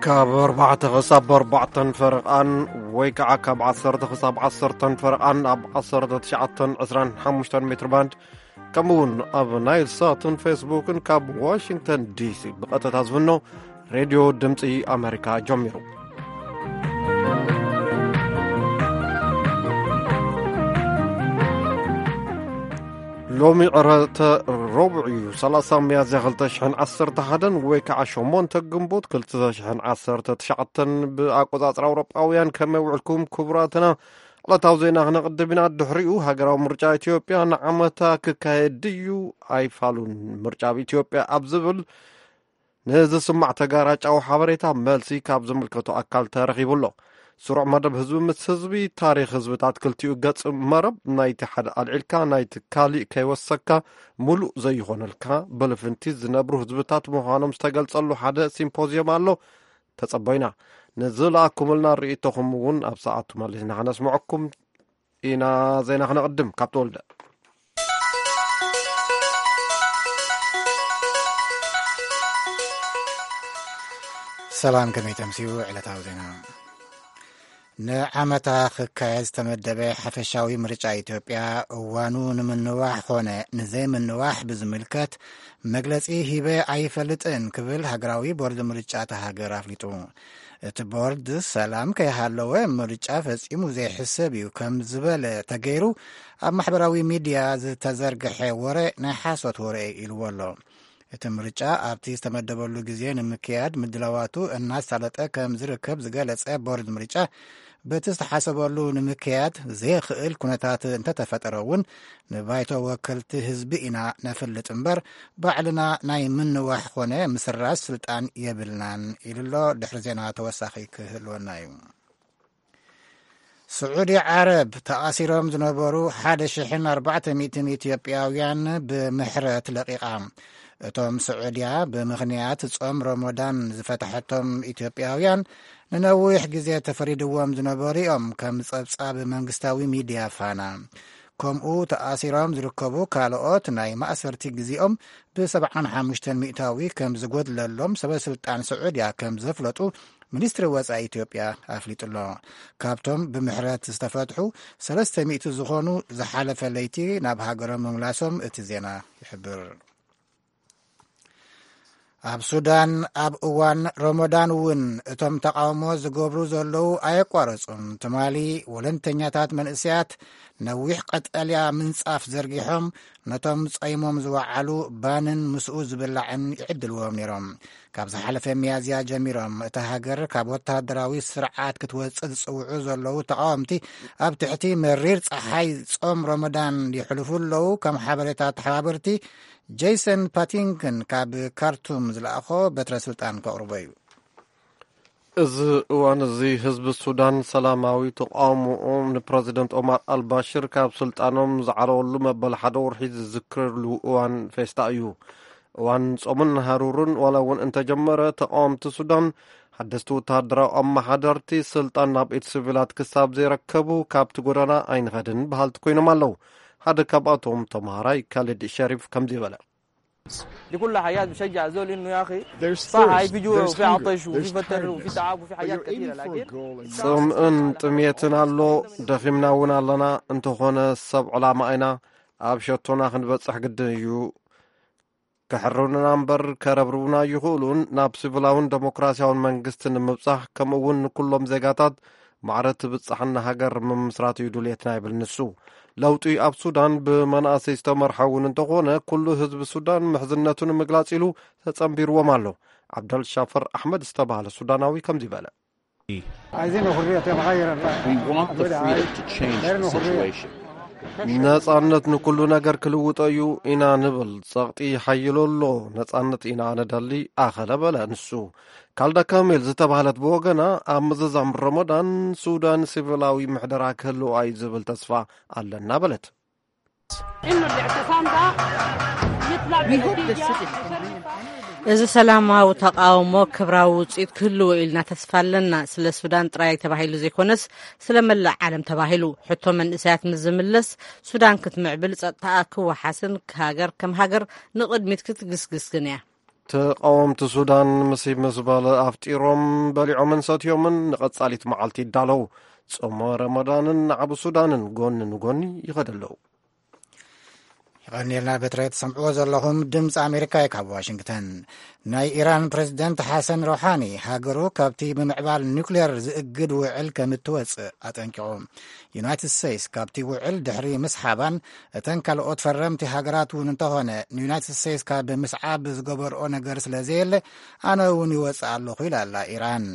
ካብ ኣርባዕተ ክሳብ ኣርባዕተን ፈረቓን ወይ ከዓ ካብ ዓሰርተ ክሳብ ዓሰርተን ፈረቓን ኣብ ዓሰርተ ትሽዓተን ዕስራን ሓሙሽተን ሜትር ባንድ፣ ከምኡ እውን ኣብ ናይል ሳትን ፌስቡክን ካብ ዋሽንግተን ዲሲ ብቐጥታ ዝፍኖ ሬድዮ ድምፂ ኣሜሪካ ጀሚሩ። ሎሚ ዕረተ ረቡዕ እዩ፣ ሰላሳ ሚያዝያ ክልተ ሽሕን ዓሰርተ ሓደን ወይ ከዓ ሸሞንተ ግንቦት ክልተ ሽሕን ዓሰርተ ትሽዓተን ብኣቆጻጽራ ኣውሮጳውያን። ከመይ ውዕልኩም ክቡራትና? ዕለታዊ ዜና ክነቕድም ኢና። ድሕሪኡ ሃገራዊ ምርጫ ኢትዮጵያ ንዓመታ ክካየድ ድዩ ኣይፋሉን፣ ምርጫ ኣብ ኢትዮጵያ ኣብ ዝብል ንዝስማዕ ተጋራጫዊ ሓበሬታ መልሲ ካብ ዝምልከቶ ኣካል ተረኺቡ ኣሎ። ስሩዕ መደብ ህዝቢ ምስ ህዝቢ፣ ታሪኽ ህዝብታት ክልቲኡ ገጽ መረብ፣ ናይቲ ሓደ ኣልዒልካ ናይቲ ካሊእ ከይወሰካ፣ ሙሉእ ዘይኾነልካ ብልፍንቲ ዝነብሩ ህዝብታት ምዃኖም ዝተገልጸሉ ሓደ ሲምፖዝዮም ኣሎ። ተጸበዩና። ንዝለኣኩምልና ርእይቶኹም እውን ኣብ ሰዓቱ መሊስና ከነስምዐኩም ኢና። ዜና ክነቕድም ካብ ተወልደ። ሰላም፣ ከመይ ተምስዩ? ዕለታዊ ዜና። ንዓመታ ክካየድ ዝተመደበ ሓፈሻዊ ምርጫ ኢትዮጵያ እዋኑ ንምንዋሕ ኾነ ንዘይምንዋሕ ብዝምልከት መግለጺ ሂበ ኣይፈልጥን ክብል ሃገራዊ ቦርድ ምርጫ እታ ሃገር ኣፍሊጡ። እቲ ቦርድ ሰላም ከይሃለወ ምርጫ ፈጺሙ ዘይሕሰብ እዩ ከም ዝበለ ተገይሩ ኣብ ማሕበራዊ ሚድያ ዝተዘርግሐ ወረ ናይ ሓሶት ወረ ኢልዎ ኣሎ። እቲ ምርጫ ኣብቲ ዝተመደበሉ ግዜ ንምክያድ ምድላዋቱ እናሳለጠ ከም ዝርከብ ዝገለጸ ቦርድ ምርጫ፣ በቲ ዝተሓሰበሉ ንምክያድ ዘየኽእል ኩነታት እንተተፈጠረ እውን ንባይቶ ወከልቲ ህዝቢ ኢና ነፍልጥ እምበር ባዕልና ናይ ምንዋሕ ኾነ ምስራዝ ስልጣን የብልናን ኢሉ ኣሎ። ድሕሪ ዜና ተወሳኺ ክህልወና እዩ። ስዑዲ ዓረብ ተኣሲሮም ዝነበሩ ሓደ ሽሕን ኣርባዕተ ሚእትን ኢትዮጵያውያን ብምሕረት ለቒቓ። እቶም ስዑድያ ብምኽንያት ጾም ረመዳን ዝፈትሐቶም ኢትዮጵያውያን ንነዊሕ ግዜ ተፈሪድዎም ዝነበሩ እዮም፣ ከም ጸብጻብ መንግስታዊ ሚድያ ፋና። ከምኡ ተኣሲሮም ዝርከቡ ካልኦት ናይ ማእሰርቲ ግዜኦም ብሰብዓን ሓሙሽተን ሚእታዊ ከም ዝጎድለሎም ሰበ ስልጣን ስዑድያ ከም ዘፍለጡ ሚኒስትሪ ወጻኢ ኢትዮጵያ ኣፍሊጡ ኣሎ። ካብቶም ብምሕረት ዝተፈትሑ ሰለስተ ሚእቲ ዝኾኑ ዝሓለፈ ለይቲ ናብ ሃገሮም ምምላሶም እቲ ዜና ይሕብር። ኣብ ሱዳን ኣብ እዋን ረመዳን እውን እቶም ተቃውሞ ዝገብሩ ዘለዉ ኣየቋረጹን። ትማሊ ወለንተኛታት መንእሰያት ነዊሕ ቀጠልያ ምንጻፍ ዘርጊሖም ነቶም ጸይሞም ዝወዓሉ ባንን ምስኡ ዝብላዕን ይዕድልዎም ነይሮም። ካብ ዝሓለፈ ሚያዝያ ጀሚሮም እታ ሃገር ካብ ወታደራዊ ስርዓት ክትወጽእ ዝጽውዑ ዘለዉ ተቃወምቲ ኣብ ትሕቲ መሪር ጸሓይ ጾም ረመዳን የሕልፉ ኣለዉ። ከም ሓበሬታ ተሓባበርቲ ጄሰን ፓቲንግተን ካብ ካርቱም ዝለኣኾ በትረ ስልጣን ከቕርቦ እዩ። እዚ እዋን እዚ ህዝቢ ሱዳን ሰላማዊ ተቃውሞኡ ንፕረዚደንት ኦማር ኣልባሽር ካብ ስልጣኖም ዝዓለወሉ መበል ሓደ ወርሒ ዝዝክረሉ እዋን ፌስታ እዩ። እዋን ጾምን ሃሩርን ዋላ እውን እንተጀመረ፣ ተቃወምቲ ሱዳን ሓደስቲ ወተሃደራዊ ኣመሓደርቲ ስልጣን ናብ ኢድ ሲቪላት ክሳብ ዘይረከቡ ካብቲ ጎደና ኣይንኸድን በሃልቲ ኮይኖም ኣለዉ። ሓደ ካብኣቶም ተምሃራይ ካሊድ ሸሪፍ ከምዚ በለ። دي كلها حاجات بشجع الزول انه يا اخي صح، هاي في جوع وفي عطش وفي فتر وفي تعب وفي حاجات كثيره، لكن ጽምእን ጥሜትን ኣሎ፣ ደኺምና እውን ኣለና። እንተኾነ ሰብ ዕላማ ኢና፣ ኣብ ሸቶና ክንበጽሕ ግድን እዩ። ከሕርኑና እምበር ከረብርቡና ኣይኽእሉን። ናብ ሲቪላውን ደሞክራሲያውን መንግስቲ ንምብጻሕ፣ ከምኡ እውን ንኩሎም ዜጋታት ማዕረ ትብጻሕና ሃገር ምምስራት እዩ ድልየትና ይብል ንሱ። ለውጢ ኣብ ሱዳን ብመናእሰይ ዝተመርሐ እውን እንተኾነ፣ ኩሉ ህዝቢ ሱዳን ምሕዝነቱ ንምግላጽ ኢሉ ተጸንቢርዎም ኣሎ። ዓብደል ሻፈር ኣሕመድ ዝተባህለ ሱዳናዊ ከምዚ በለ። عايزين الحرية تتغير. We want the freedom to change the situation. ነጻነት ንኩሉ ነገር ክልውጦ እዩ ኢና ንብል። ጸቕጢ ሓይሎ ኣሎ። ነጻነት ኢና ንደሊ፣ ኣኸለ በለ ንሱ። ካልዳ ካሜል ዝተባህለት ብወገና፣ ኣብ ምዝዛም ረመዳን ሱዳን ሲቪላዊ ምሕደራ ክህልዋ እዩ ዝብል ተስፋ ኣለና በለት። إنه الاعتصام ده يطلع بنتيجة مشرفة. እዚ ሰላማዊ ተቃውሞ ክብራዊ ውፅኢት ክህልዎ ኢልና ተስፋ ኣለና። ስለ ሱዳን ጥራይ ተባሂሉ ዘይኮነስ ስለ መላእ ዓለም ተባሂሉ። ሕቶ መንእሰያት ምስ ዝምለስ ሱዳን ክትምዕብል፣ ጸጥታኣ ክወሓስን ሃገር ከም ሃገር ንቕድሚት ክትግስግስን እያ። ተቓወምቲ ሱዳን ምስ ምስ በለ ኣፍጢሮም በሊዖምን ሰትዮምን ንቐጻሊት መዓልቲ ይዳለዉ። ጾመ ረመዳንን ዓቢ ሱዳንን ጎኒ ንጎኒ ይኸዱ ኣለዉ። ይቐንየልና። በትረ ትሰምዕዎ ዘለኹም ድምፂ ኣሜሪካ እዩ ካብ ዋሽንግተን። ናይ ኢራን ፕሬዝደንት ሓሰን ሮሓኒ ሃገሩ ካብቲ ብምዕባል ኒውክሌር ዝእግድ ውዕል ከም እትወፅእ ኣጠንቂቑ። ዩናይትድ ስቴትስ ካብቲ ውዕል ድሕሪ ምስሓባን እተን ካልኦት ፈረምቲ ሃገራት እውን እንተኾነ ንዩናይትድ ስቴትስ ካብ ምስዓብ ዝገበርኦ ነገር ስለ ዘየለ ኣነ እውን ይወፅእ ኣለኹ ኢላ ኣላ ኢራን።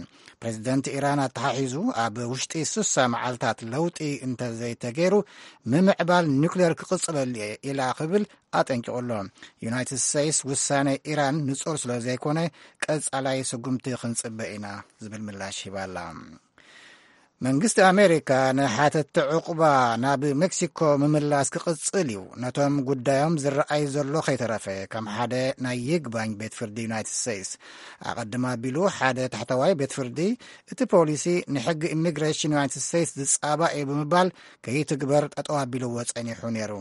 ፕሬዝደንት ኢራን ኣተሓሒዙ ኣብ ውሽጢ ስሳ መዓልታት ለውጢ እንተዘይተገይሩ ምምዕባል ኒውክሌር ክቕፅለሉ እየ ኢላ ክብል ኣጠንቂቑ ኣሎ። ዩናይትድ ስቴትስ ውሳነ ኢራን ንጹር ስለ ዘይኮነ ቀጻላይ ስጉምቲ ክንጽበ ኢና ዝብል ምላሽ ሂባ ኣላ። መንግስቲ ኣሜሪካ ንሓተቲ ዕቑባ ናብ ሜክሲኮ ምምላስ ክቕጽል እዩ፣ ነቶም ጉዳዮም ዝረኣይ ዘሎ ከይተረፈ ከም ሓደ ናይ ይግባኝ ቤት ፍርዲ ዩናይትድ ስቴትስ። ኣቐድም ኣቢሉ ሓደ ታሕተዋይ ቤት ፍርዲ እቲ ፖሊሲ ንሕጊ ኢሚግሬሽን ዩናይትድ ስቴትስ ዝጻባእ እዩ ብምባል ከይትግበር ጠጠው ኣቢልዎ ጸኒሑ ነይሩ።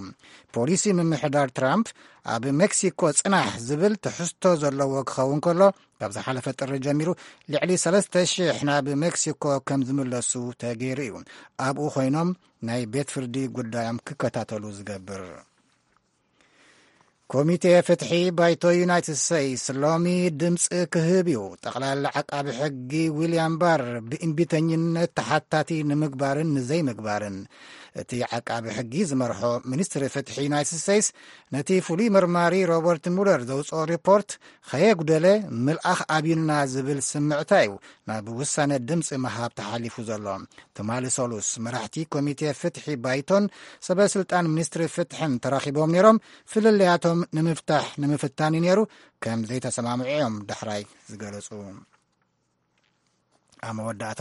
ፖሊሲ ምምሕዳር ትራምፕ ኣብ ሜክሲኮ ጽናሕ ዝብል ትሕዝቶ ዘለዎ ክኸውን ከሎ፣ ካብ ዝሓለፈ ጥሪ ጀሚሩ ልዕሊ ሰለስተ ሽሕ ናብ ሜክሲኮ ከም ዝምለሱ ተገይሩ እዩ። ኣብኡ ኮይኖም ናይ ቤት ፍርዲ ጉዳዮም ክከታተሉ ዝገብር። ኮሚቴ ፍትሒ ባይቶ ዩናይትድ ስቴትስ ሎሚ ድምፂ ክህብ እዩ። ጠቕላላ ዓቃቢ ሕጊ ዊልያም ባር ብእምቢተኝነት ተሓታቲ ንምግባርን ንዘይምግባርን እቲ ዓቃቢ ሕጊ ዝመርሖ ሚኒስትሪ ፍትሒ ዩናይትድ ስቴትስ ነቲ ፍሉይ መርማሪ ሮበርት ሙለር ዘውፅኦ ሪፖርት ከየጉደለ ምልኣኽ ኣብዩና ዝብል ስምዕታ እዩ ናብ ውሳነ ድምፂ ምሃብ ተሓሊፉ ዘሎ። ትማሊ ሰሉስ መራሕቲ ኮሚቴ ፍትሒ ባይቶን ሰበ ስልጣን ሚኒስትሪ ፍትሕን ተራኺቦም ነይሮም። ፍልልያቶም ንምፍታሕ ንምፍታን እዩ ነይሩ፣ ከም ዘይተሰማምዑ እዮም ዳሕራይ ዝገለጹ። ኣብ መወዳእታ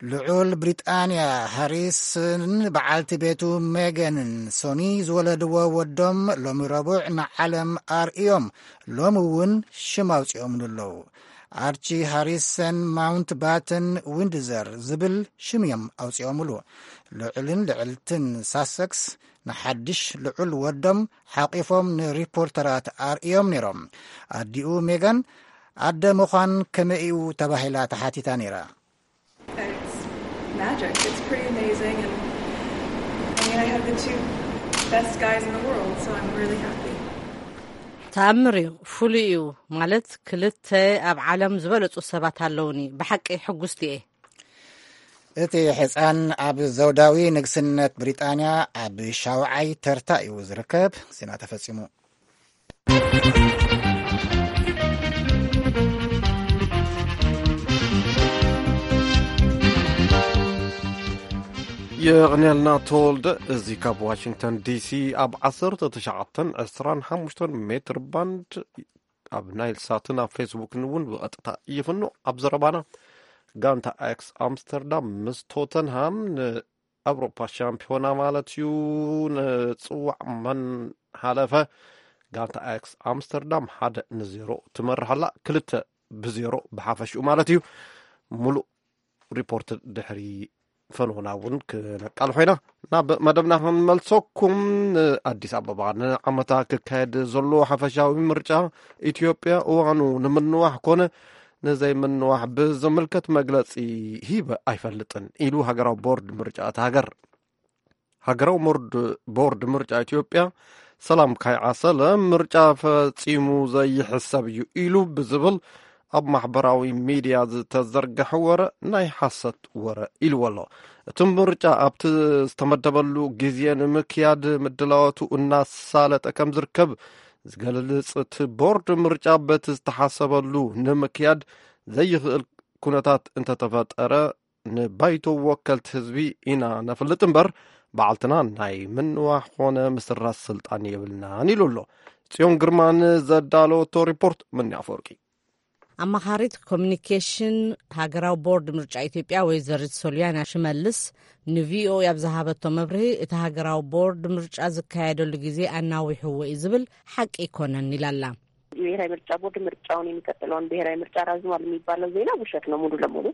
ልዑል ብሪጣንያ ሃሪስን በዓልቲ ቤቱ ሜገንን ሶኒ ዝወለድዎ ወዶም ሎሚ ረቡዕ ንዓለም ኣርእዮም፣ ሎሚ እውን ሽም ኣውፂኦምሉ ኣለዉ። ኣርቺ ሃሪሰን ማውንት ባተን ዊንድዘር ዝብል ሽም እዮም ኣውፂኦምሉ። ልዑልን ልዕልትን ሳሰክስ ንሓድሽ ልዑል ወዶም ሓቂፎም ንሪፖርተራት ኣርእዮም ነይሮም። ኣዲኡ ሜጋን ኣደ ምዃን ከመይ እዩ ተባሂላ ተሓቲታ ነይራ። It's magic. It's pretty amazing. And I mean, I have the two best guys in the world, so I'm really happy. ተኣምር እዩ፣ ፍሉይ እዩ። ማለት ክልተ ኣብ ዓለም ዝበለጹ ሰባት ኣለውኒ። ብሓቂ ሕጉስቲ እየ። እቲ ሕፃን ኣብ ዘውዳዊ ንግስነት ብሪጣንያ ኣብ ሻውዓይ ተርታ እዩ ዝርከብ። ዜና ተፈጺሙ። የቕንየልና ተወልደ። እዚ ካብ ዋሽንግተን ዲሲ ኣብ ዓሰርተ ትሽዓተን ዕስራን ሓሙሽተን ሜትር ባንድ ኣብ ናይል ሳትን ኣብ ፌስቡክን እውን ብቐጥታ ይፍኖ። ኣብ ዘረባና ጋንታ ኣያክስ ኣምስተርዳም ምስ ቶተንሃም ንኣውሮፓ ሻምፒዮና ማለት እዩ ንጽዋዕ መን ሓለፈ። ጋንታ ኣያክስ ኣምስተርዳም ሓደ ንዜሮ ትመርሕ ኣላ። ክልተ ብዜሮ ብሓፈሽኡ ማለት እዩ። ሙሉእ ሪፖርት ድሕሪ ፈንውና እውን ክነቃልሖ ኢና። ናብ መደብና ክንመልሰኩም። ኣዲስ ኣበባ ንዓመታ ክካየድ ዘሎ ሓፈሻዊ ምርጫ ኢትዮጵያ እዋኑ ንምንዋሕ ኮነ ንዘይምንዋሕ ብዝምልከት መግለጺ ሂበ ኣይፈልጥን ኢሉ ሃገራዊ ቦርድ ምርጫ እታ ሃገር። ሃገራዊ ቦርድ ምርጫ ኢትዮጵያ ሰላም ካይዓሰለ ምርጫ ፈጺሙ ዘይሕሰብ እዩ ኢሉ ብዝብል ኣብ ማሕበራዊ ሚድያ ዝተዘርገሐ ወረ ናይ ሓሰት ወረ ኢልዎ ኣሎ። እቲ ምርጫ ኣብቲ ዝተመደበሉ ግዜ ንምክያድ ምድላዋቱ እናሳለጠ ከም ዝርከብ ዝገልጽ እቲ ቦርድ ምርጫ በቲ ዝተሓሰበሉ ንምክያድ ዘይኽእል ኩነታት እንተተፈጠረ ንባይቶ ወከልቲ ህዝቢ ኢና ነፍልጥ እምበር ባዕልትና ናይ ምንዋሕ ኾነ ምስራዝ ስልጣን የብልናን ኢሉ ኣሎ። ጽዮን ግርማ ንዘዳለወቶ ሪፖርት ምኒ ኣፈወርቂ። ኣማኻሪት ኮሚኒኬሽን ሃገራዊ ቦርድ ምርጫ ኢትዮጵያ ወይዘሪት ሶልያና ሽመልስ ንቪኦኤ ኣብ ዝሃበቶ መብርሂ እቲ ሃገራዊ ቦርድ ምርጫ ዝካየደሉ ግዜ ኣናዊሕዎ እዩ ዝብል ሓቂ ኣይኮነን ኢላላ። የብሔራዊ ምርጫ ቦርድ ምርጫውን የሚቀጥለውን ብሔራዊ ምርጫ ራዝሟል የሚባለው ዜና ውሸት ነው ሙሉ ለሙሉ።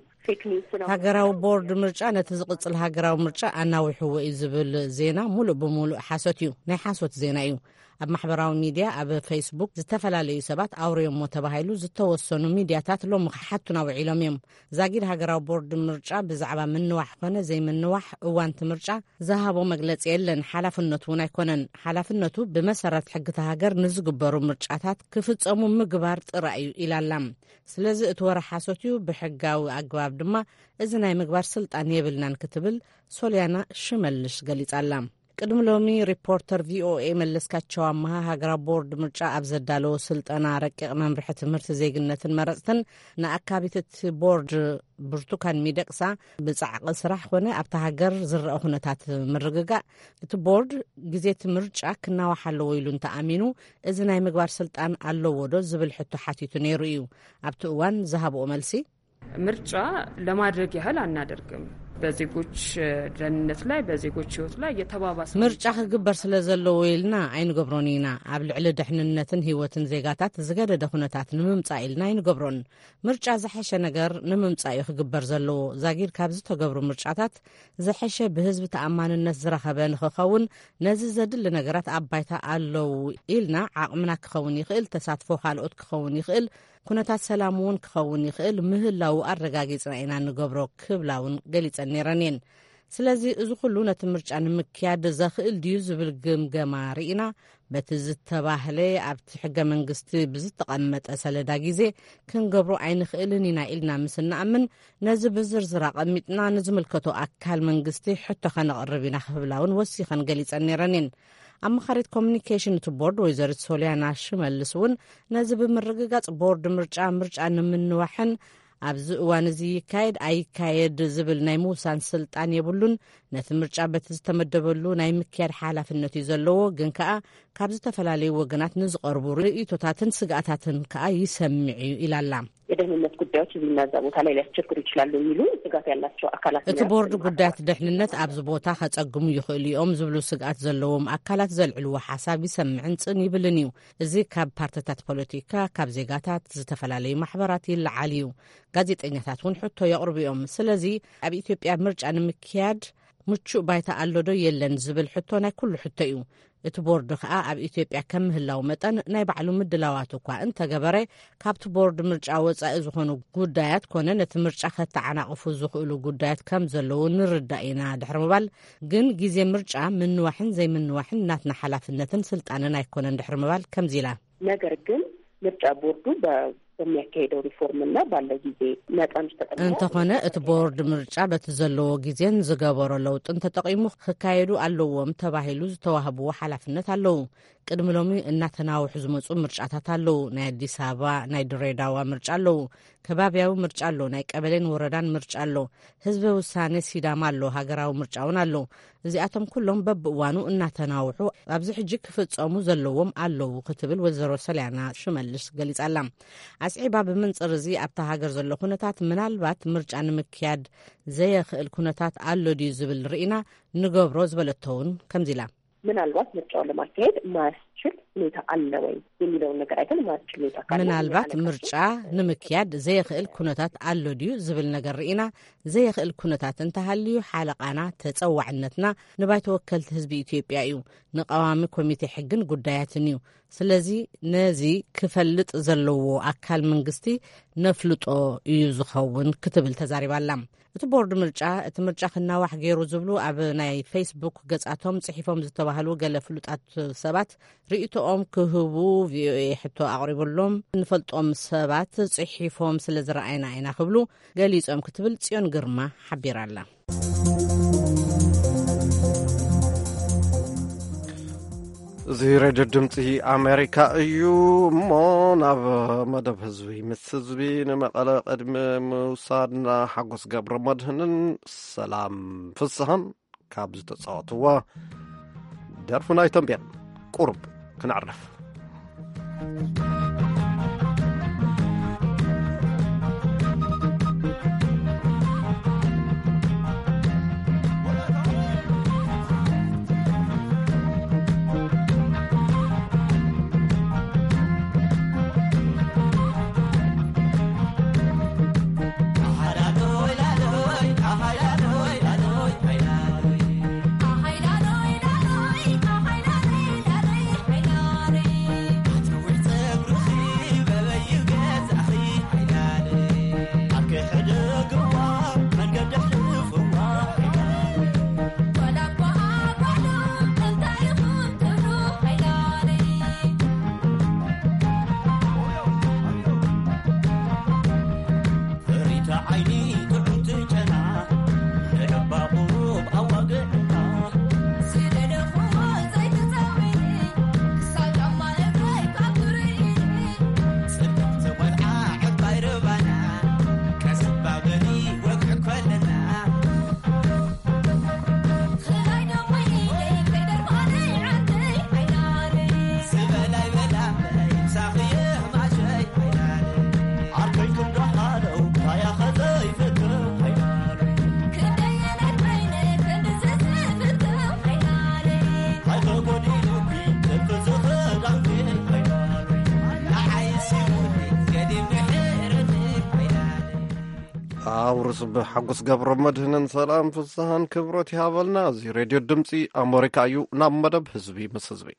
ሃገራዊ ቦርድ ምርጫ ነቲ ዝቕጽል ሃገራዊ ምርጫ ኣናዊሕዎ እዩ ዝብል ዜና ሙሉእ ብሙሉእ ሓሶት እዩ፣ ናይ ሓሶት ዜና እዩ። ኣብ ማሕበራዊ ሚድያ፣ ኣብ ፌስቡክ፣ ዝተፈላለዩ ሰባት ኣውርዮሞ ተባሂሉ ዝተወሰኑ ሚድያታት ሎሚ ክሓቱና ውዒሎም እዮም። ዛጊድ ሃገራዊ ቦርድ ምርጫ ብዛዕባ ምንዋሕ ኮነ ዘይምንዋሕ እዋን እቲ ምርጫ ዝሃቦ መግለጺ የለን፣ ሓላፍነቱ እውን ኣይኮነን። ሓላፍነቱ ብመሰረት ሕግታ ሃገር ንዝግበሩ ምርጫታት ክፍጸሙ ምግባር ጥራይ እዩ ኢላላ። ስለዚ እቲ ወረ ሓሶት እዩ፣ ብሕጋዊ ኣግባብ ድማ እዚ ናይ ምግባር ስልጣን የብልናን ክትብል ሶልያና ሽመልሽ ገሊጻላ። ቅድሚ ሎሚ ሪፖርተር ቪኦኤ መለስካቸው ኣመሃ ሃገራዊ ቦርድ ምርጫ ኣብ ዘዳለዎ ስልጠና ረቂቕ መምርሒ ትምህርቲ ዜግነትን መረፅትን ንኣካቢት እቲ ቦርድ ብርቱካን ሚደቅሳ ብጻዕቂ ስራሕ ኮነ ኣብታ ሃገር ዝረአ ኩነታት ምርግጋእ እቲ ቦርድ ግዜ እቲ ምርጫ ክናዋሕ ኣለዎ ኢሉ እንተኣሚኑ እዚ ናይ ምግባር ስልጣን ኣለዎ ዶ ዝብል ሕቶ ሓቲቱ ነይሩ እዩ። ኣብቲ እዋን ዝሃብኦ መልሲ ምርጫ ለማድረግ ያህል አናደርግም። በዜጎች ደህንነት ላይ፣ በዜጎች ህይወት ላይ የተባባሰ ምርጫ ክግበር ስለ ዘለዎ ኢልና ኣይንገብሮን ኢና። ኣብ ልዕሊ ደሕንነትን ህይወትን ዜጋታት ዝገደደ ኩነታት ንምምጻእ ኢልና ኣይንገብሮን። ምርጫ ዝሐሸ ነገር ንምምጻእ እዩ ክግበር ዘለዎ። ዛጊድ ካብ ዝተገብሩ ምርጫታት ዝሐሸ ብህዝቢ ተኣማንነት ዝረኸበ ንኽኸውን ነዚ ዘድሊ ነገራት ኣብ ባይታ ኣለዉ ኢልና ዓቕምና ክኸውን ይኽእል፣ ተሳትፎ ካልኦት ክኸውን ይኽእል፣ ኩነታት ሰላም እውን ክኸውን ይኽእል ምህላዉ ኣረጋጊጽና ኢና ንገብሮ ክብላ እውን ገሊጸን ነይረን እየን። ስለዚ እዚ ኩሉ ነቲ ምርጫ ንምክያድ ዘኽእል ድዩ ዝብል ግምገማ ርኢና በቲ ዝተባህለ ኣብቲ ሕገ መንግስቲ ብዝተቐመጠ ሰለዳ ግዜ ክንገብሮ ኣይንኽእልን ኢና ኢልና ምስ እንኣምን ነዚ ብዝርዝር ኣቐሚጥና ንዝምልከቶ ኣካል መንግስቲ ሕቶ ከነቕርብ ኢና ክብላ እውን ወሲኸን ገሊጸን ነይረን እየን። ኣማኻሪት ኮሚኒኬሽን እቲ ቦርድ ወይዘሪት ሶልያና ሽመልስ እውን ነዚ ብምርግጋጽ ቦርድ ምርጫ ምርጫ ንምንዋሕን ኣብዚ እዋን እዚ ይካየድ ኣይካየድ ዝብል ናይ ምውሳን ስልጣን የብሉን። ነቲ ምርጫ በቲ ዝተመደበሉ ናይ ምክያድ ሓላፍነት እዩ ዘለዎ። ግን ከኣ ካብ ዝተፈላለዩ ወገናት ንዝቐርቡ ርእይቶታትን ስግኣታትን ከኣ ይሰምዕ እዩ ኢላላ። የደህንነት ጉዳዮች እዚህና እዛ ቦታ ላይ ሊያስቸግሩ ይችላሉ የሚሉ ስጋት ያላቸው አካላት እቲ ቦርድ ጉዳያት ደሕንነት ኣብዚ ቦታ ከጸግሙ ይኽእሉ እዮም ዝብሉ ስግኣት ዘለዎም ኣካላት ዘልዕልዎ ሓሳብ ይሰምዕን ጽን ይብልን እዩ። እዚ ካብ ፓርቲታት ፖለቲካ፣ ካብ ዜጋታት፣ ዝተፈላለዩ ማሕበራት ይለዓል እዩ። ጋዜጠኛታት እውን ሕቶ የቕርቡ እዮም። ስለዚ ኣብ ኢትዮጵያ ምርጫ ንምክያድ ምቹእ ባይታ ኣሎ ዶ የለን ዝብል ሕቶ ናይ ኩሉ ሕቶ እዩ። እቲ ቦርድ ኸኣ ኣብ ኢትዮጵያ ከም ምህላው መጠን ናይ ባዕሉ ምድላዋት እኳ እንተገበረ ካብቲ ቦርድ ምርጫ ወጻኢ ዝኾኑ ጉዳያት ኮነ ነቲ ምርጫ ከተዓናቕፉ ዝኽእሉ ጉዳያት ከም ዘለዉ ንርዳእ ኢና ድሕሪ ምባል ግን ግዜ ምርጫ ምንዋሕን ዘይምንዋሕን ናትና ሓላፍነትን ስልጣንን ኣይኮነን ድሕሪ ምባል ከምዚ ኢላ። ነገር ግን ምርጫ ቦርዱ በሚያካሄደው ሪፎርም እና ባለው ጊዜ መጠን ውስጥ ተጠቅሞ እንተኾነ እቲ ቦርድ ምርጫ በቲ ዘለዎ ግዜን ዝገበሮ ለውጥን ተጠቒሙ ክካየዱ ኣለዎም ተባሂሉ ዝተዋህብዎ ሓላፍነት ኣለዉ። ቅድሚ ሎሚ እናተናውሑ ዝመፁ ምርጫታት ኣለዉ። ናይ ኣዲስ ኣበባ፣ ናይ ድሬዳዋ ምርጫ ኣለዉ። ከባብያዊ ምርጫ ኣሎ። ናይ ቀበሌን ወረዳን ምርጫ ኣሎ። ህዝበ ውሳኔ ሲዳማ ኣሎ። ሃገራዊ ምርጫ እውን ኣሎ። እዚኣቶም ኩሎም በብእዋኑ እናተናውሑ ኣብዚ ሕጂ ክፍጸሙ ዘለዎም ኣለዉ ክትብል ወይዘሮ ሰልያና ሽመልስ ገሊጻ ኣላ። ኣስዒባ ብምንጽር እዚ ኣብታ ሃገር ዘሎ ኩነታት ምናልባት ምርጫ ንምክያድ ዘየኽእል ኩነታት ኣሎ ድዩ ዝብል ርኢና ንገብሮ ዝበለቶ እውን ከምዚ ኢላ። ምናልባት ምርጫውን ለማካሄድ ማያስችል ሁኔታ አለ ወይ የሚለውን ነገር አይተን ማያስችል ሁኔታ ካለ ምናልባት ምርጫ ንምክያድ ዘየኽእል ኩነታት ኣሎ ድዩ ዝብል ነገር ርኢና ዘየኽእል ኩነታት እንተሃልዩ ሓለቓና ተጸዋዕነትና ንባይቶ ወከልቲ ህዝቢ ኢትዮጵያ እዩ፣ ንቀዋሚ ኮሚቴ ሕግን ጉዳያትን እዩ። ስለዚ ነዚ ክፈልጥ ዘለዎ ኣካል መንግስቲ ነፍልጦ እዩ ዝኸውን ክትብል ተዛሪባ ኣላ። እቲ ቦርድ ምርጫ እቲ ምርጫ ክናዋሕ ገይሩ ዝብሉ ኣብ ናይ ፌስቡክ ገጻቶም ጽሒፎም ዝተባህሉ ገለ ፍሉጣት ሰባት ርእይቶኦም ክህቡ ቪኦኤ ሕቶ ኣቕሪቡሎም። ንፈልጦም ሰባት ጽሒፎም ስለ ዝረኣይና ኢና ክብሉ ገሊጾም ክትብል ጽዮን ግርማ ሓቢራ ኣላ። እዚ ሬድዮ ድምፂ ኣሜሪካ እዩ። እሞ ናብ መደብ ህዝቢ ምስ ህዝቢ ንመቐለ ቅድሚ ምውሳድና ሓጎስ ገብረ መድህንን ሰላም ፍስሃን ካብ ዝተፃወትዋ ደርፊ ናይ ተንቤን ቁሩብ ክነዕርፍ። ኣውርስ ብሓጎስ ገብረ መድህንን ሰላም ፍስሃን ክብረት ይሃበልና። እዚ ሬድዮ ድምፂ ኣሜሪካ እዩ። ናብ መደብ ህዝቢ ምስ ህዝቢ።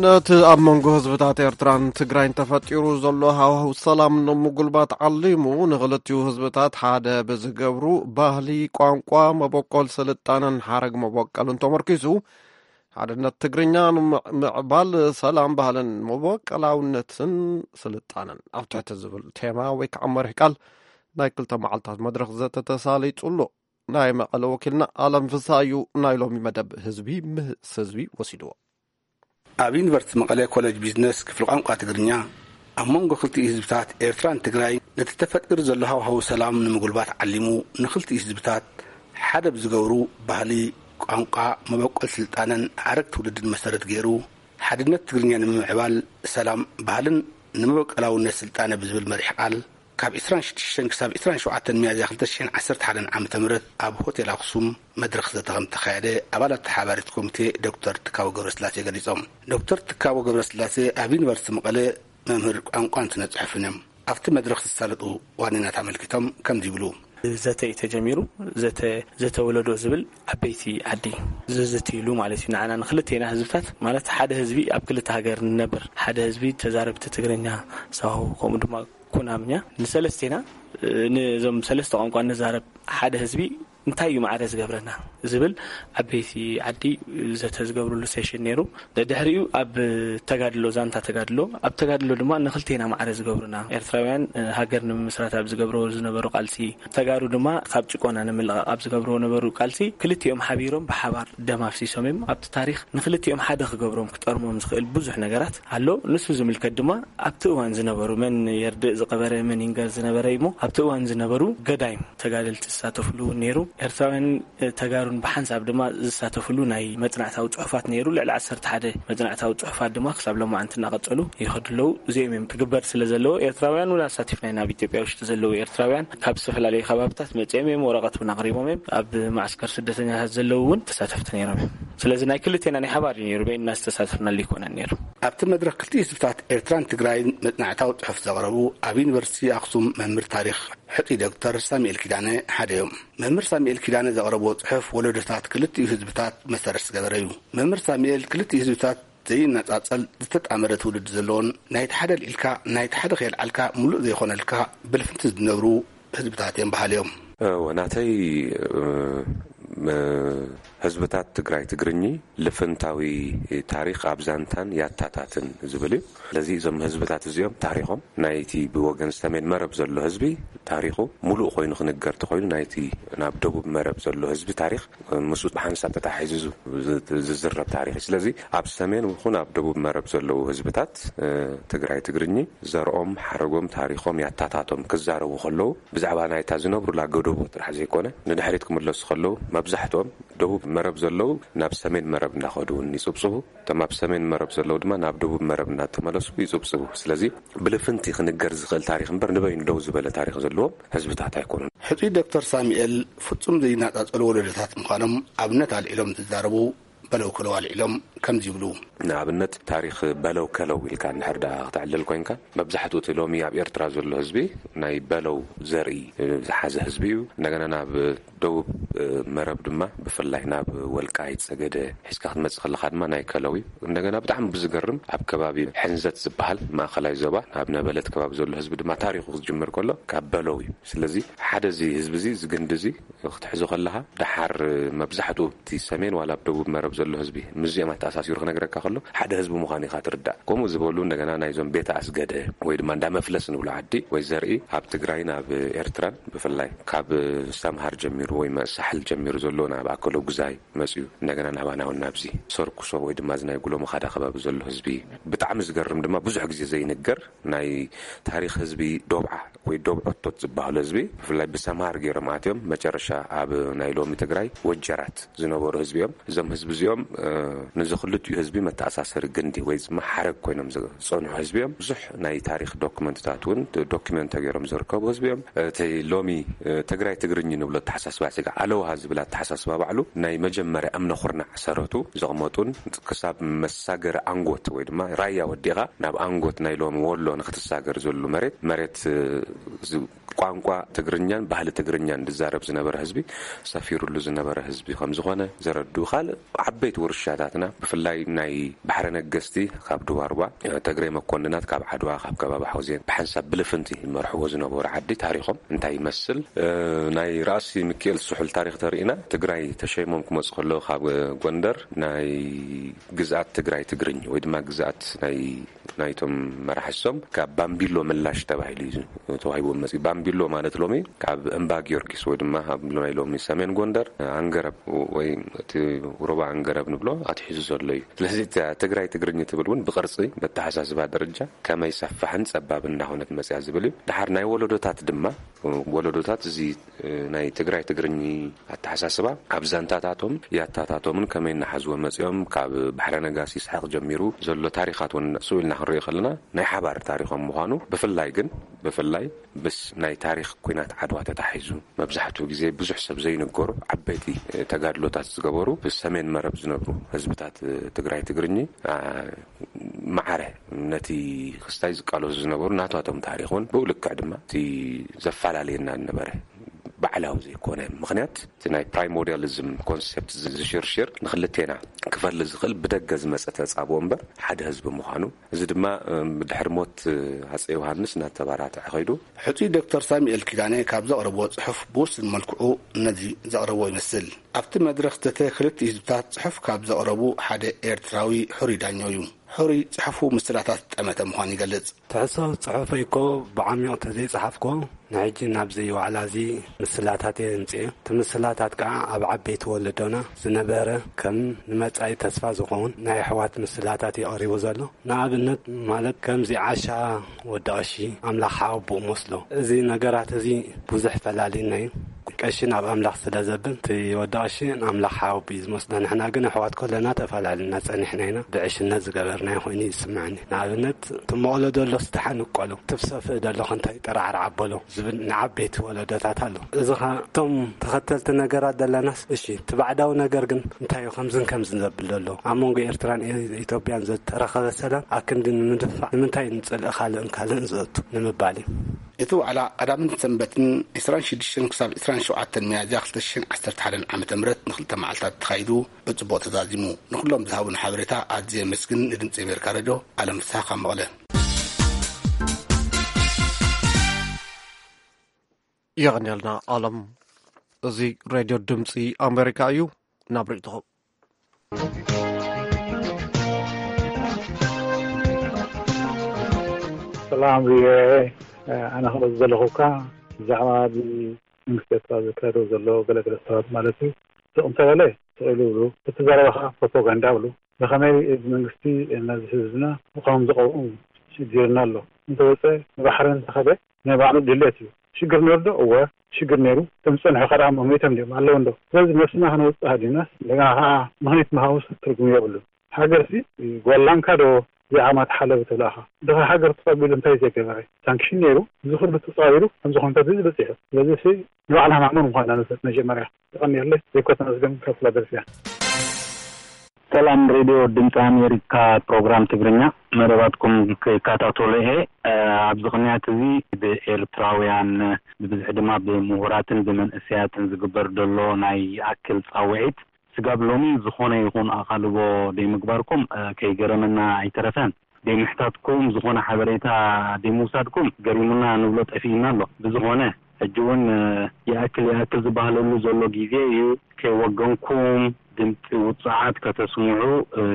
ነቲ ኣብ መንጎ ህዝብታት ኤርትራን ትግራይን ተፈጢሩ ዘሎ ሃዋህው ሰላም ንምጉልባት ዓሊሙ፣ ንኽልቲኡ ህዝብታት ሓደ ብዝገብሩ ባህሊ፣ ቋንቋ፣ መበቆል ስልጣነን ሓረግ መበቆልን ተመርኪሱ፣ ሓድነት ትግርኛ ንምዕባል ሰላም፣ ባህልን መበቆላውነትን ስልጣነን ኣብ ትሕቲ ዝብል ቴማ ወይ ከዓ መሪሕ ቃል ናይ ክልተ መዓልታት መድረኽ ዘተ ተሳሊጡ ኣሎ። ናይ መቐለ ወኪልና ኣለም ፍስሃ እዩ ናይ ሎሚ መደብ ህዝቢ ምስ ህዝቢ ወሲድዎ። ኣብ ዩኒቨርሲቲ መቐለ ኮሌጅ ቢዝነስ ክፍሊ ቋንቋ ትግርኛ፣ ኣብ መንጎ ክልቲኡ ህዝብታት ኤርትራን ትግራይ ነቲ ተፈጢሩ ዘሎ ሃዋህው ሰላም ንምጉልባት ዓሊሙ፣ ንክልቲኡ ህዝብታት ሓደ ብዝገብሩ ባህሊ፣ ቋንቋ፣ መበቆል ስልጣነን ሓረግ ትውልድን መሰረት ገይሩ፣ ሓድነት ትግርኛ ንምምዕባል ሰላም፣ ባህልን ንመበቆላውነት ስልጣነ ብዝብል መሪሕ ቃል፣ ካብ ዕስራን ሽዱሽተን ክሳብ ዕስራን ሸውዓተን ሚያዝያ ክልተ ሽሕን ዓሰርተ ሓደን ዓመተ ምህረት ኣብ ሆቴል ኣክሱም መድረኽ ዘተ ከም ተኻየደ ኣባላት ተሓባሪት ኮሚቴ ዶክተር ትካቦ ገብረስላሴ ገሊጾም። ዶክተር ትካቦ ገብረስላሴ ኣብ ዩኒቨርሲቲ መቐለ መምህር ቋንቋን ስነ ጽሑፍን እዮም። ኣብቲ መድረኽ ዝሳለጡ ዋኒናት ኣመልኪቶም ከምዚ ይብሉ። ዘተ እዩ ተጀሚሩ። ዘተ፣ ዘተ ወለዶ ዝብል ዓበይቲ ዓዲ ዝዝትይሉ ማለት እዩ። ንዓና ንክልቴና ህዝብታት ማለት ሓደ ህዝቢ ኣብ ክልተ ሃገር ንነብር፣ ሓደ ህዝቢ ተዛረብቲ ትግርኛ፣ ሳሆ፣ ከምኡ ድማ ኩናምኛ፣ ንሰለስቴና፣ እ፣ ነዞም ሰለስተ ቋንቋ ንዛረብ ሓደ ህዝቢ እንታይ እዩ ማዕረ ዝገብረና ዝብል ዓበይቲ ዓዲ ዘተ ዝገብርሉ ሴሽን ነይሩ። ድሕሪኡ ኣብ ተጋድሎ፣ ዛንታ ተጋድሎ፣ ኣብ ተጋድሎ ድማ ንክልቴና ማዕረ ዝገብሩና ኤርትራውያን፣ እ፣ ሃገር ንምምስራት ኣብ ዝገብርዎ ዝነበሩ ቃልሲ፣ ተጋሩ ድማ ካብ ጭቆና ንምልቓቕ ኣብ ዝገብርዎ ነበሩ ቃልሲ፣ ክልቲኦም ሓቢሮም ብሓባር ደም ኣፍሲሶም እዮም። ኣብቲ ታሪኽ ንክልቲኦም ሓደ ክገብሮም፣ ክጠርሞም ዝኽእል ብዙሕ ነገራት ኣሎ። ንሱ ዝምልከት ድማ ኣብቲ እዋን ዝነበሩ፣ መን የርድእ ዝቐበረ፣ መን ይንገር ዝነበረ እሞ፣ ኣብቲ እዋን ዝነበሩ ገዳይም ተጋደልቲ ዝሳተፍሉ እውን ነይሩ። ኤርትራውያን፣ እ፣ ተጋሩን ብሓንሳብ ድማ ዝሳተፍሉ ናይ መጽናዕታዊ ጽሑፋት ነይሩ። ልዕሊ ዓሰርተ ሓደ መጽናዕታዊ ጽሑፋት ድማ ክሳብ ሎማዓንቲ እናቐጸሉ ይኸዱ ኣለዉ። እዚኦም እዮም ክግበር ስለ ዘለዎ፣ ኤርትራውያን እውን ኣሳቲፍና ኢና፣ ኣብ ኢትዮጵያ ውሽጢ ዘለዉ ኤርትራውያን ካብ ዝተፈላለዩ ከባብታት መጺኦም እዮም፣ ወረቐት እውን ኣቕሪቦም እዮም። ኣብ ማዕስከር ስደተኛታት ዘለዉ እውን ተሳተፍቲ ነይሮም እዮም። ስለዚ ናይ ክልቴና ናይ ሓባር እዩ ነይሩ፣ በይንና ዝተሳተፍናሉ ኣይኮነን ነይሩ። ኣብቲ መድረኽ ክልቲኡ ህዝብታት ኤርትራን ትግራይን መጽናዕታዊ ጽሑፍ ዘቕረቡ ኣብ ዩኒቨርሲቲ ኣኽሱም መምህር ታሪኽ ሕጡይ ዶክተር ሳሙኤል ኪዳነ ሓደ እዮም። መምህር ሳሙኤል ኪዳነ ዘቕረብዎ ጽሑፍ ወለዶታት ክልቲኡ ህዝብታት መሰረት ዝገበረ እዩ። መምህር ሳሙኤል ክልቲኡ ህዝብታት ዘይነጻጸል ዝተጣመረ ትውልዲ ዘለዎን ናይቲ ሓደ ኣልዒልካ ናይቲ ሓደ ከየልዓልካ ምሉእ ዘይኾነልካ ብልፍንቲ ዝነብሩ ህዝብታት እዮም በሃሊ እዮም። እወ፣ ናተይ፣ እ፣ ም-፣ ህዝብታት ትግራይ ትግርኚ ልፍንታዊ ታሪኽ ኣብ ዛንታን ያታታትን ዝብል እዩ። ስለዚ እዞም ህዝብታት እዚኦም ታሪኾም ናይቲ ብወገን ሰሜን መረብ ዘሎ ህዝቢ ታሪኹ ሙሉእ ኮይኑ ክንገር ተኾይኑ ናይቲ ናብ ደቡብ መረብ ዘሎ ህዝቢ ታሪኽ ምስ ብሓንሳብ ተታሒዙ ዝ-፣ ዝ-፣ ዝዝረብ ታሪኽ እዩ። ስለዚ ኣብ ሰሜን ይኹን ኣብ ደቡብ መረብ ዘለዉ ህዝብታት፣ እ፣ ትግራይ ትግርኚ ዘርኦም፣ ሓረጎም፣ ታሪኾም ያታታቶም ክዛረቡ ከለዉ ብዛዕባ ናይታ ዝነብሩላ ገደቦ ጥራሕ ዘይኮነ ንድሕሪት ክምለሱ ከለዉ መብዛሕትኦም ደቡብ መረብ ዘለዉ ናብ ሰሜን መረብ እንዳኸዱ እውን ይጽብጽቡ። እቶም ኣብ ሰሜን መረብ ዘለዉ ድማ ናብ ደቡብ መረብ እናተመለሱ ይጽብጽቡ። ስለዚ ብልፍንቲ ክንገር ዝኽእል ታሪኽ እምበር ንበይኑ ደው ዝበለ ታሪኽ ዘለዎም ህዝብታት ኣይኮኑን። ሕጹይ ዶክተር ሳሙኤል ፍጹም ዘይነጻጸሉ ወለዶታት ምዃኖም ኣብነት ኣልዒሎም እንትዛረቡ በለው ከለው ኣልዒሎም ከምዚ ይብሉ። ንኣብነት ታሪኽ በለው ከለው ኢልካ እንድሕር ደኣ ክተዕልል ኮይንካ፣ መብዛሕትኡ እቲ ሎሚ ኣብ ኤርትራ ዘሎ ህዝቢ ናይ በለው ዘርኢ ዝሓዘ ህዝቢ እዩ። እንደገና ናብ ደቡብ መረብ ድማ ብፍላይ ናብ ወልቃይት ጸገደ ሒዝካ ክትመጽእ ከለኻ ድማ ናይ ከለው እዩ። እንደገና ብጣዕሚ ብዝገርም ኣብ ከባቢ ሕንዘት ዝበሃል ማእከላይ ዞባ ኣብ ነበለት ከባቢ ዘሎ ህዝቢ ድማ ታሪኹ ክጅምር ከሎ ካብ በለው እዩ። ስለዚ ሓደ እዚ ህዝቢ እዚ፣ እዚ ግንዲ እዚ ክትሕዞ ከለኻ፣ ደሓር መብዛሕትኡ እቲ ሰሜን ዋላ ኣብ ደቡብ መረብ ዘሎ ህዝቢ ምስዚኦም ኣተኣሳሲሩ ክነግረካ ከሎ ሓደ ህዝቢ ምዃኑ ኢኻ ትርዳእ። ከምኡ ዝበሉ እንደገና ናይዞም ቤተ ኣስገደ ወይ ድማ እንዳ መፍለስ ንብሎ ዓዲ ወይ ዘርኢ ኣብ ትግራይን ኣብ ኤርትራን ብፍላይ ካብ ሰምሃር ጀሚሩ ወይ መ-፣ ሳሕል ጀሚሩ ዘሎ ናብ ኣከለ ጉዛይ መጽዩ እንደገና ናባና እውን ናብዚ ሰርኩሶ ወይ ድማ እዚ ናይ ጉሎ መኻዳ ከባቢ ዘሎ ህዝቢ ብጣዕሚ ዝገርም ድማ ብዙሕ ግዜ ዘይንገር ናይ ታሪኽ ህዝቢ ዶብዓ ወይ ዶብዖቶት ዝበሃሉ ህዝቢ ብፍላይ ብሰምሃር ገይሮም ኣትዮም መጨረሻ ኣብ ናይ ሎሚ ትግራይ ወጀራት ዝነበሩ ህዝቢ እዮም። እዞም ህዝቢ እዚኦም፣ እ፣ ንዚ ክልቲኡ ህዝቢ መተኣሳሰሪ ግንዲ ወይ ድማ ሓረግ ኮይኖም ዝጸንሑ ህዝቢ እዮም። ብዙሕ ናይ ታሪኽ ዶክመንትታት እውን ዶክመንት ተገይሮም ዝርከቡ ህዝቢ እዮም። እቲ ሎሚ፣ እ፣ ትግራይ ትግርኝ ንብሎ ኣተሓሳስባ ስጋ ኣለዎ ውሃ ዝብል ኣተሓሳስባ ባዕሉ ናይ መጀመርያ እምነ ኩርናዕ ሰረቱ ዘቕመጡን ክሳብ መሳገሪ ኣንጎት ወይ ድማ ራያ ወዲኻ ናብ ኣንጎት ናይ ሎሚ ወሎ ንክትሳገር ዘሉ መሬት መሬት እ፣ ዝ- ቋንቋ ትግርኛን ባህሊ ትግርኛን ዝዛረብ ዝነበረ ህዝቢ ሰፊሩሉ ዝነበረ ህዝቢ ከም ዝኾነ ዘረዱ ካልእ ዓበይቲ ውርሻታትና ብፍላይ ናይ ባሕረ ነገስቲ ካብ ድዋርባ ተግሬ መኮንናት ካብ ዓድዋ ካብ ከባቢ ሓውዜን ብሓንሳብ ብልፍንቲ ይመርሕዎ ዝነበሩ ዓዲ ታሪኾም እንታይ ይመስል ናይ ራእሲ ሚካኤል ስሑል ታሪኽ ተርእና ትግራይ ተሸይሞም ክመፁ ከለዉ ካብ ጎንደር ናይ ግዝኣት ትግራይ ትግርኝ ወይ ድማ ግዝኣት ናይ ናይቶም መራሕሶም ካብ ባምቢሎ ምላሽ ተባሂሉ እዩ ተዋሂቦም መፅኡ። ባምቢሎ ማለት ሎሚ ካብ እምባ ጊዮርጊስ ወይ ድማ ኣብ ናይ ሎሚ ሰሜን ጎንደር ኣንገረብ ወይ እቲ ሩባ ኣንገረብ ንብሎ ኣትሒዙ ዘሎ እዩ። ስለዚ እታ ትግራይ ትግርኝ ትብል እውን ብቅርፂ በተሓሳስባ ደረጃ ከመይ ሰፋሕን ፀባብ እንዳሆነት መፅያ ዝብል እዩ። ድሓር ናይ ወለዶታት ድማ ወለዶታት እዚ ናይ ትግራይ ትግርኝ ኣተሓሳስባ ኣብ ዛንታታቶም ያታታቶምን ከመይ እናሓዝዎ መፂኦም ካብ ባሕረ ነጋሲ ይስሓቅ ጀሚሩ ዘሎ ታሪኻት እውን ስኡ ኢልና ክንሪኦ ከለና ናይ ሓባር ታሪኾም ምዃኑ ብፍላይ ግን ብፍላይ ምስ ናይ ታሪኽ ኩናት ዓድዋ ተታሒዙ መብዛሕትኡ ግዜ ብዙሕ ሰብ ዘይንገሩ ዓበይቲ ተጋድሎታት ዝገበሩ ብሰሜን መረብ ዝነብሩ ህዝብታት ትግራይ ትግርኝ ማዕረ ነቲ ክስታይ ዝቃለሱ ዝነበሩ ናታቶም ታሪኽ እውን ብኡ ልክዕ ድማ እቲ ዘፈላለየና ዝነበረ ባዕላዊ ዘይኮነ ምኽንያት እቲ ናይ ፕራይሞርዲያሊዝም ኮንሴፕት ዝሽርሽር ንክልቴና ክፈሊ ዝኽእል ብደገ ዝመፀ ተፃብኦ እምበር ሓደ ህዝቢ ምዃኑ እዚ ድማ ብድሕሪ ሞት ኣፀ ዮሃንስ እናተባራትዐ ከይዱ። ሕፁይ ዶክተር ሳሙኤል ኪዳነ ካብ ዘቕረብዎ ፅሑፍ ብውስን መልክዑ ነዚ ዘቕረብዎ ይመስል። ኣብቲ መድረኽ ዘተ ክልቲኡ ህዝብታት ፅሑፍ ካብ ዘቕረቡ ሓደ ኤርትራዊ ሕሩይ ዳኘው እዩ። ሕሩይ ፅሑፉ ምስላታት ዝጠመተ ምዃኑ ይገልፅ። ትሕዝቶ ጽሑፈይ እኮ ብዓሚቕ ተዘይጸሓፍኩዎ ንሕጂ ናብዚ ዋዕላ እዚ ምስላታት እየ ኣምጽኤ። እቲ ምስላታት ከኣ ኣብ ዓበይቲ ወለዶና ዝነበረ ከም ንመጻኢ ተስፋ ዝኸውን ናይ ኣሕዋት ምስላታት እዩ ቀሪቡ ዘሎ። ንኣብነት ማለት ከምዚ ዓሻ ወዲ ቀሺ ኣምላኽ ሓወቦኡ መስሎ። እዚ ነገራት እዚ ብዙሕ ፈላልዩና እዩ። ቀሺ ናብ ኣምላኽ ስለ ዘብል እቲ ወዲ ቀሺ ንኣምላኽ ሓወቦኡ እዩ ዝመስሎ። ንሕና ግን ኣሕዋት ከለና ተፈላሊና ጸኒሕና ኢና። ብዕሽነት ዝገበርናዮ ኮይኑ እዩ ዝስምዓኒ። ንኣብነት እቲ መቕሎ ደሎስ ደሓን እቆሎ፣ እቲ ብሰፍእ ደሎ ከ እንታይ ጠራዕራዕ ኣበሎ ዝብል ንዓበይቲ ወለዶታት ኣሎ። እዚ ኸ እቶም ተኸተልቲ ነገራት ደለናስ እሺ እቲ ባዕዳዊ ነገር ግን እንታይ እዩ ከምዝን ከምዝን ዘብል ዘሎ? ኣብ መንጎ ኤርትራን ኤ- ኢትዮጵያን ዝተረኸበ ሰላም ኣክንዲ ንምድፋዕ ንምንታይ ንጽልኢ ካልእን ካልእን ዘእቱ ንምባል እዩ። እቲ ዋዕላ ቀዳምን ሰንበትን ዕስራን ሽዱሽተን ክሳብ ዕስራን ሸውዓተን ሚያዝያ ክልተ ሽሕን ዓሰርተ ሓደን ዓመተ ምህረት ንክልተ መዓልታት ተኻይዱ ብጽቡቕ ተዛዚሙ። ንኹሎም ዝሃቡና ሓበሬታ ኣዝየ የመስግን። ንድምጺ ኣሜሪካ ሬድዮ ኣለም ፍስሃ ካብ መቐለ። የቐንየልና ኣለም። እዚ ሬድዮ ድምፂ ኣሜሪካ እዩ። ናብ ርእይቶኹም። ሰላም ቪኦኤ፣ ኣነ ክመዝ ዘለኹካ ብዛዕባ መንግስቲ ኤርትራ ዘካየዶ ዘሎ ገለገለ ሰባት ማለት እዩ ስቕ እንተበለ ስቕ ኢሉ ይብሉ፣ እቲ ዘረባ ከዓ ፕሮፓጋንዳ ይብሉ። ብኸመይ እዚ መንግስቲ ነዚ ህዝብና ብኸም ዝቐብኡ ሽግርና ኣሎ። እንተወፀ ንባሕሪ እንተኸደ ናይ ባዕሉ ድሌት እዩ። ሽግር ነይሩ ዶ? እወ ሽግር ነይሩ። እቶም ዝፀንሑ ከ ደኣ መሞይቶም ድዮም ኣለዉ እንዶ? ስለዚ ነብስና ከነውፅእ ሃዲምናስ እንደገና ከዓ ምኽኒት ምሃቡስ ትርጉም የብሉን። ሃገርሲ ጓል ላንካ ዶ ዘይዓማ ትሓለብ ትብላኻ? ድኻ ሃገር ተቐቢሉ እንታይ ዘይገበረ? ሳንክሽን ነይሩ። እዚ ኩሉ ተፃዊሩ ከምዚ ኩነታት እዚ በፂሑ። ስለዚ ሲ ንባዕልና ማእሙን ምዃንና ንፍለጥ መጀመርያ። የቐንየለይ። ዘይኮ ተመስገን ካብ ፊላደልፍያ። ሰላም ሬድዮ ድምፂ ኣሜሪካ ፕሮግራም ትግርኛ መደባትኩም ክከታተሎ እየ። ኣብዚ ቅንያት እዚ ብኤርትራውያን ብብዝሒ ድማ ብምሁራትን ብመንእሰያትን ዝግበር ዘሎ ናይ ይኣክል ፃውዒት ስጋብ ሎሚ ዝኾነ ይኹን ኣቓልቦ ደይምግባርኩም ከይገረመና ኣይተረፈን። ደይምሕታትኩም ዝኾነ ሓበሬታ ደይምውሳድኩም ገሪሙና ንብሎ ጠፊእና ኣሎ። ብዝኾነ ሕጂ እውን ይኣክል ይኣክል ዝበሃለሉ ዘሎ ግዜ እዩ። ከይወገንኩም ድምፂ ውፁዓት ከተስምዑ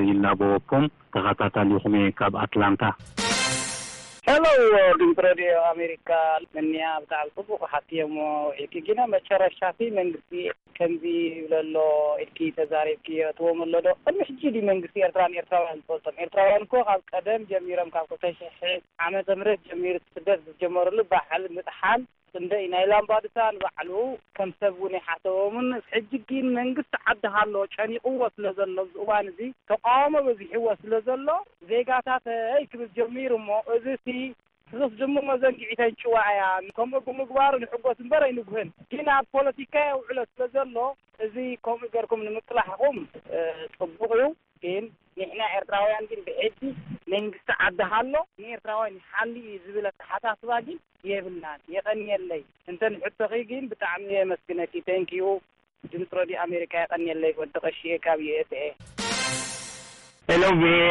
ይላበወኩም። ተኸታታሊኹም እየ ካብ ኣትላንታ። ሄሎ ድምፂ ሬድዮ ኣሜሪካ። ምንያ ብጣዕሚ ፅቡቅ ሓትየሞ ውዒልኪ ግና መጨረሻቲ መንግስቲ ከምዚ ይብለሎ ኢልኪ ተዛሪብኪ የእትዎም ኣሎ ዶ? ቅድሚ ሕጂ ድዩ መንግስቲ ኤርትራን ኤርትራውያን ዝፈልጦም? ኤርትራውያን እኮ ካብ ቀደም ጀሚሮም ካብ ክልተ ሽሕ ዓመተ ምህረት ጀሚሩ እቲ ስደት ዝጀመርሉ ባሕሪ ምጥሓል ክንደይ ናይ ላምባዱሳ ንባዕሉ ከም ሰብ እውን ኣይሓሰቦምን። ሕጂ ግን መንግስቲ ዓዲ ሃሎ ጨኒቕዎ ስለ ዘሎ ኣብዚ እዋን እዚ ተቃውሞ በዚሕዎ ስለ ዘሎ ዜጋታተይ ክብል ጀሚሩ እሞ እዚ እቲ ርስ ድሞ መዘንግዒተን ጭዋ እያ። ከምኡ ብምግባሩ ንሕጎስ እምበር ኣይንጉህን። ግን ኣብ ፖለቲካ የውዕሎ ስለ ዘሎ፣ እዚ ከምኡ ገርኩም ንምቅላሕኹም፣ እ፣ ጽቡቕ እዩ። ግን ንሕና ኤርትራውያን ግን ብሕጂ መንግስቲ ዓዲ ሃሎ ንኤርትራውያን ይሓሊ እዩ ዝብል ኣተሓሳስባ ግን የብልናን። የቐንየለይ። እንተ ንሕቶኺ ግን ብጣዕሚ የመስግነኪ። Thank you። ድምፂ ሬድዮ ኣሜሪካ የቐንየለይ። ወዲ ቀሺ ካብ ዩ ኤስ ኤ። ሄሎ ቪ ኤ፣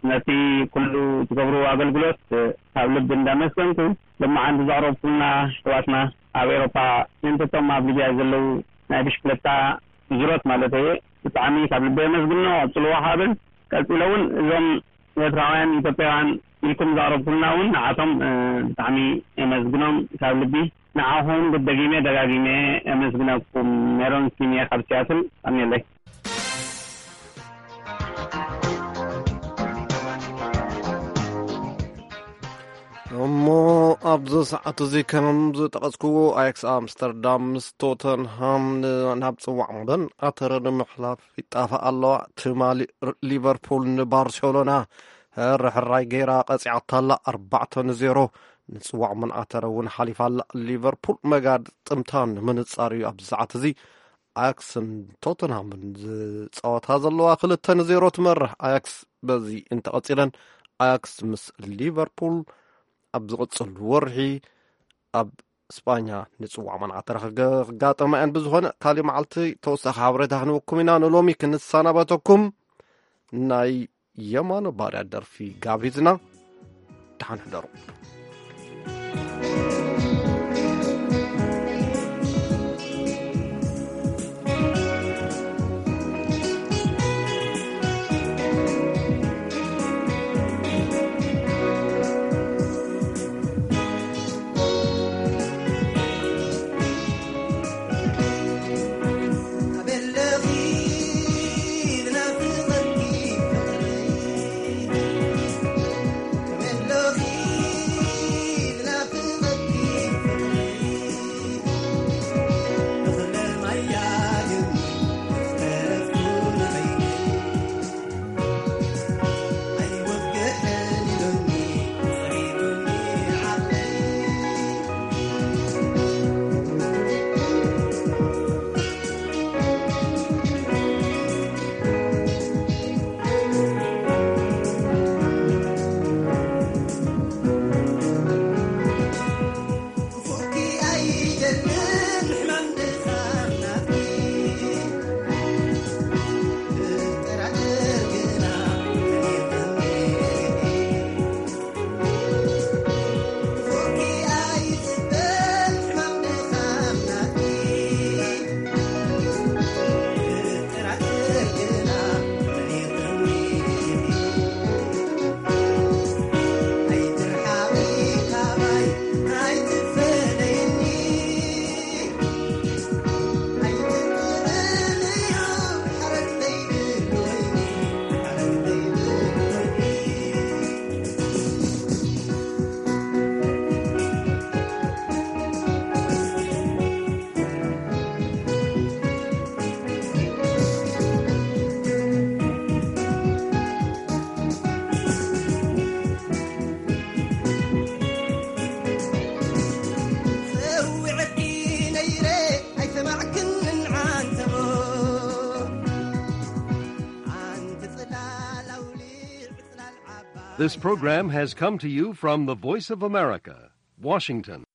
ነቲ ኩሉ ትገብርዎ ኣገልግሎት ካብ ልቢ እንዳመስገንኩ፣ ሎማዓንቲ ዘቕረብኩልና ኣሕዋትና ኣብ ኤውሮፓ፣ ምእንተቶም ኣብ ሊብያ ዘለዉ ናይ ብሽክለታ ዙሮት ማለት እየ፣ ብጣዕሚ ካብ ልቢ የመስግኖ። ቀጽልዎ። ሓብል ቀጺለ እውን እዞም ኤርትራውያን ኢትዮጵያውያን ኢልኩም ዘቕረብኩልና እውን ንዓቶም፣ እ፣ ብጣዕሚ የመስግኖም ካብ ልቢ። ንዓኹም ብደጊመ ደጋጊመ የመስግነኩም። ሜሮን ሲሜ ካብ ሲያትል። ኣሜለይ። እሞ ኣብዚ ሰዓት እዚ ከም ዝጠቐስክዎ፣ ኣያክስ ኣምስተርዳም ምስ ቶተንሃም ን-፣ ናብ ጽዋዕ መበል ኣተረ ንምሕላፍ ይጣፋ ኣለዋ። ትማሊ ር-፣ ሊቨርፑል ንባርሴሎና ሕርሕራይ ገይራ ቀጺዓታ ኣላ፣ ኣርባዕተ ንዜሮ። ንጽዋዕ መበል ኣተረ እውን ሓሊፋ ኣላ። ሊቨርፑል መጋጥምታ ንምንጻር እዩ ኣብዚ ሰዓት እዚ ኣያክስን ቶተንሃምን ዝጻወታ ዘለዋ። ክልተ ንዜሮ ትመርሕ ኣያክስ። በዚ እንተቐጺለን ኣያክስ ምስ ሊቨርፑል ኣብ ዝቕጽል ወርሒ ኣብ ስጳኛ ንጽዋዕ መበል ኣተረ ክገ-፣ ክጋጠማ እየን። ብዝኾነ ካሊእ መዓልቲ ተወሳኺ ሓበሬታ ክንወኩም ኢና። ንሎሚ ክንሰናበተኩም ናይ የማነ ባርያ ደርፊ ጋቢዝና። ደሓን ሕደሩ። This program has come to you from the Voice of America, Washington.